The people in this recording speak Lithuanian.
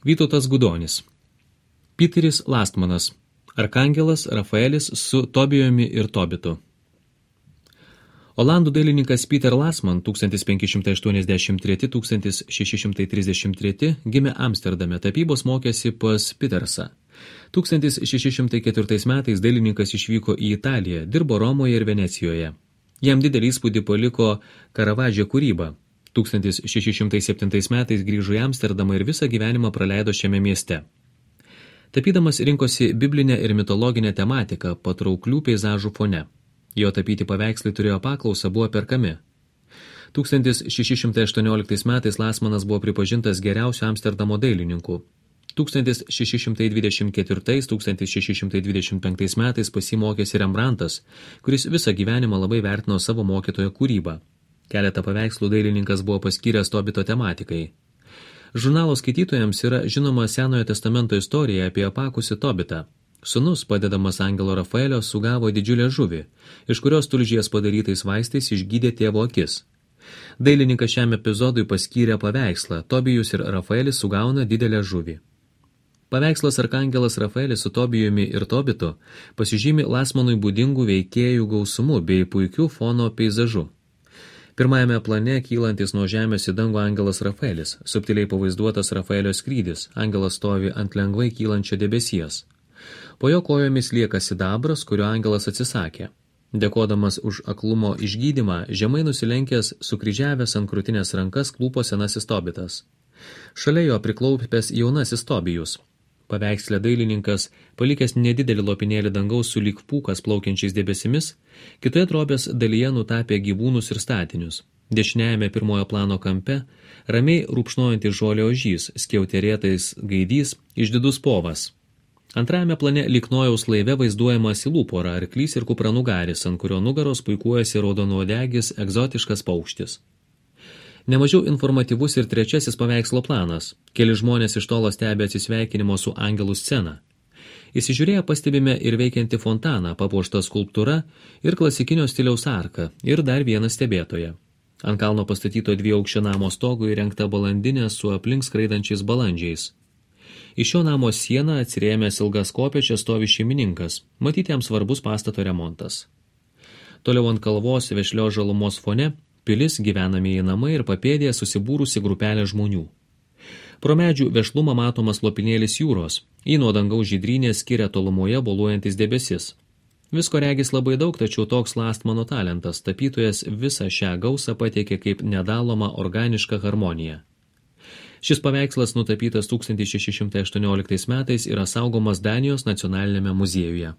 Vytautas Gudonis. Piteris Lastmanas. Arkangelas Rafaelis su Tobijumi ir Tobitu. Olandų dailininkas Peter Lastman 1583–1633 gimė Amsterdame, tapybos mokėsi pas Pitersą. 1604 metais dailininkas išvyko į Italiją, dirbo Romoje ir Venecijoje. Jam didelį įspūdį paliko Karavadžio kūryba. 1607 metais grįžo į Amsterdamą ir visą gyvenimą praleido šiame mieste. Tapydamas rinkosi biblinę ir mitologinę tematiką patrauklių peizažų fone. Jo tapyti paveikslai turėjo paklausą, buvo perkami. 1618 metais Lastmanas buvo pripažintas geriausiu Amsterdamo dailininku. 1624–1625 metais pasimokėsi Rembrandtas, kuris visą gyvenimą labai vertino savo mokytojo kūrybą. Keletą paveikslų dailininkas buvo paskyręs Tobito tematikai. Žurnalo skaitytojams yra žinoma Senojo testamento istorija apie apakusį Tobitą. Sūnus, padedamas angelo Rafaelio, sugavo didžiulę žuvį, iš kurios tulžies padarytais vaistais išgydė tėvo akis. Dailininkas šiam epizodui paskyrė paveikslą Tobijus ir Rafaelis sugauna didelę žuvį. Paveikslas Arkangelas Rafaelis su Tobijumi ir Tobitu pasižymi Lastmanui būdingų veikėjų gausumu bei puikiu fono peizažu. Pirmajame plane kylantis nuo žemės į dangų angelas Rafaelis, subtiliai pavaizduotas Rafaelio skrydis, angelas stovi ant lengvai kylančio debesies. Po jo kojomis lieka sidabras, kurio angelas atsisakė. Dėkodamas už aklumo išgydymą, žemai nusilenkęs, sukryžiavęs ant krūtinės rankas klūpo senasis Tobitas. Šalia jo priklaupęs jaunasis Tobijus. Paveiksle dailininkas, palikęs nedidelį lopinėlį dangaus sulyg pūkas plaukiančiais debesimis, kitoje drobės dalyje nutapė gyvūnus ir statinius. Dešiniajame pirmojo plano kampe ramiai rūpšnojantis žolė ožys, skiauterėtais gaidys, išdidus povas. Antrajame plane lyg Nojaus laive vaizduojama silų pora, arklys ir kupranugaris, ant kurio nugaros puikuojasi raudonuodegis egzotiškas paukštis. Nemažiau informatyvus ir trečiasis paveikslo planas. Keli žmonės iš tolo stebi atsisveikinimo su angelų sceną. Įsižiūrėję pastebime ir veikianti fontaną, papuoštą skulptūra ir klasikinio stiliaus arką ir dar vieną stebėtoją. Ant kalno pastatyto 2-aukščio namo stogo įrengta balandinė su aplink skraidančiais balandžiais. Iš šio namo sieną atsirėmęs ilgas kopėčias stovi šeimininkas, matyti jam svarbus pastato remontas. Toliau ant kalvos vešlios žalumos fone pilis, gyvenamieji namai ir papėdėje susibūrusi grupelė žmonių. Pro medžių vešlumą matomas lopinėlis jūros, į nuo dangaus žydrynės skiria tolumoje boluojantis debesis. Visko regis labai daug, tačiau toks Lastmano talentas, tapytojas visą šią gausą pateikė kaip nedalomą organišką harmoniją. Šis paveikslas nutapytas 1618 metais yra saugomas Danijos nacionalinėme muziejuje.